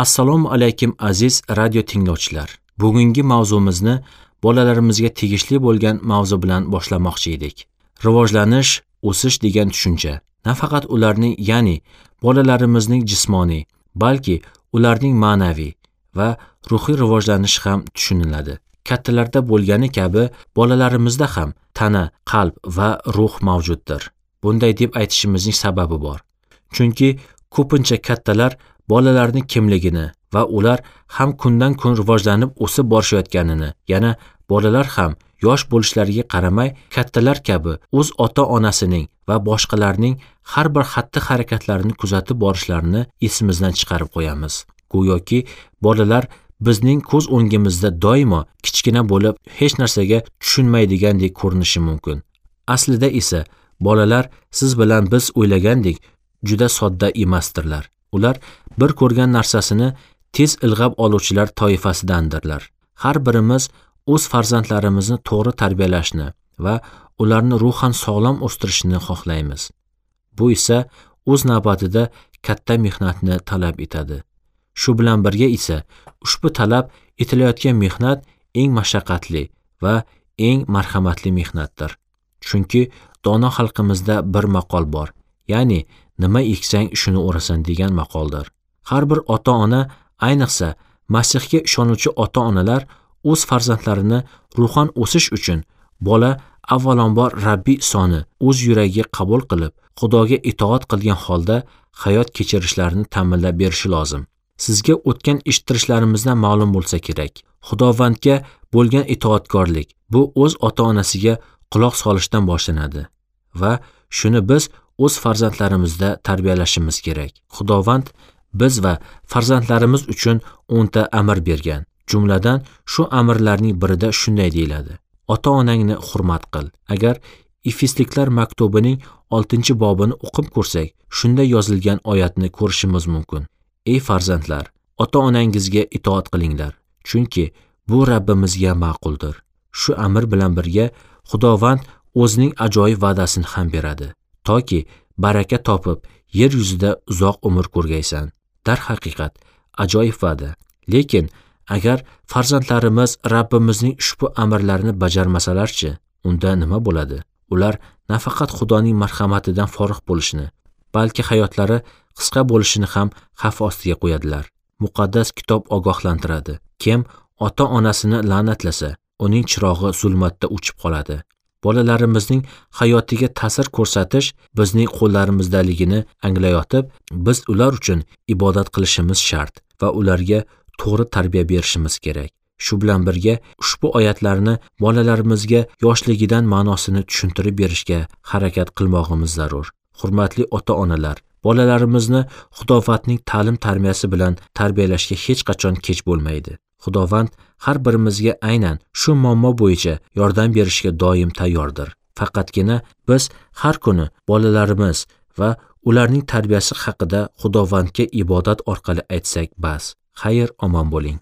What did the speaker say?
Assalomu alaykum aziz radio tinglovchilar. Bugungi mavzumizni bolalarimizga tegishli bo'lgan mavzu bilan boshlamoqchi edik. Rivojlanish, o'sish degan tushuncha nafaqat ularning, ya'ni bolalarimizning jismoniy, balki ularning ma'naviy va ruhiy rivojlanishi ham tushuniladi. Kattalarda bo'lgani kabi bolalarimizda ham tana, qalb va ruh mavjuddir. Bunday deb aytishimizning sababi bor. Chunki ko'pincha kattalar bolalarning kimligini va ular ham kundan kun rivojlanib o'sib borishayotganini, yana bolalar ham yosh bo'lishlariga qaramay kattalar kabi o'z ota-onasining va boshqalarning har bir xatti-harakatlarini kuzatib borishlarini esimizdan chiqarib qo'yamiz. Go'yoki bolalar bizning ko'z o'ngimizda doimo kichkina bo'lib, hech narsaga tushunmaydigandek ko'rinishi mumkin. Aslida esa bolalar siz bilan biz o'ylagandek juda sodda emasdirlar. Ular bir ko'rgan narsasini tez ilg'ab oluvchilar toifasidandirlar. Har birimiz o'z farzandlarimizni to'g'ri tarbiyalashni va ularni ruhan sog'lom o'stirishni xohlaymiz. Bu esa o'z navbatida katta mehnatni talab etadi. Shu bilan birga esa ushbu talab etilayotgan mehnat eng mashaqqatli va eng marhamatli mehnatdir. Chunki dono xalqimizda bir maqol bor, ya'ni nima eksang shuni o'rasan degan maqoldir. Har bir ota-ona, ayniqsa Masihga ishonuvchi ota-onalar o'z farzandlarini ruhan o'sish uchun bola avvalambor Rabbiy Isoni o'z yuragiga qabul qilib, Xudoga itoat qilgan holda hayot kechirishlarini ta'minlab berishi lozim. Sizga o'tgan eshittirishlarimizdan ma'lum bo'lsa kerak. Xudovandga bo'lgan itoatkorlik bu o'z ota-onasiga quloq solishdan boshlanadi va shuni biz o'z farzandlarimizda tarbiyalashimiz kerak. Xudovand biz va farzandlarimiz uchun 10 ta amr bergan. Jumladan shu amrlarning birida shunday deyiladi: ota-onangni hurmat qil. Agar Efesliklar maktubining 6-bobini o'qib ko'rsak, shunda yozilgan oyatni ko'rishimiz mumkin. Ey farzandlar, ota-onangizga itoat qilinglar, chunki bu Rabbimizga ma'quldir. Shu amr bilan birga Xudovand o'zining ajoyib va'dasini ham beradi, toki baraka topib yer yuzida uzoq umr ko'rgaysan. Darhaqiqat ajoyib va'da. Lekin agar farzandlarimiz Rabbimizning ushbu amrlarini bajarmasalarchi, unda nima bo'ladi? Ular nafaqat Xudoning marhamatidan forig' bo'lishini, balki hayotlari qisqa bo'lishini ham xavf ostiga qo'yadilar. Muqaddas kitob ogohlantiradi. Kim ota-onasini la'natlasa, uning chirog'i zulmatda o'chib qoladi. Bolalarimizning hayotiga ta'sir ko'rsatish bizning qo'llarimizdaligini anglayotib, biz ular uchun ibodat qilishimiz shart va ularga to'g'ri tarbiya berishimiz kerak. Shu bilan birga ushbu oyatlarni bolalarimizga yoshligidan ma'nosini tushuntirib berishga harakat qilmog'imiz zarur. Hurmatli ota-onalar, bolalarimizni Xudovandning ta'lim-tarbiyasi bilan tarbiyalashga hech qachon kech bo'lmaydi. Xudovand har birimizga aynan shu muammo bo'yicha yordam berishga doim tayyordir. Faqatgina biz har kuni bolalarimiz va ularning tarbiyasi haqida Xudovandga ibodat orqali aytsak bas. Xayr, omon bo'ling.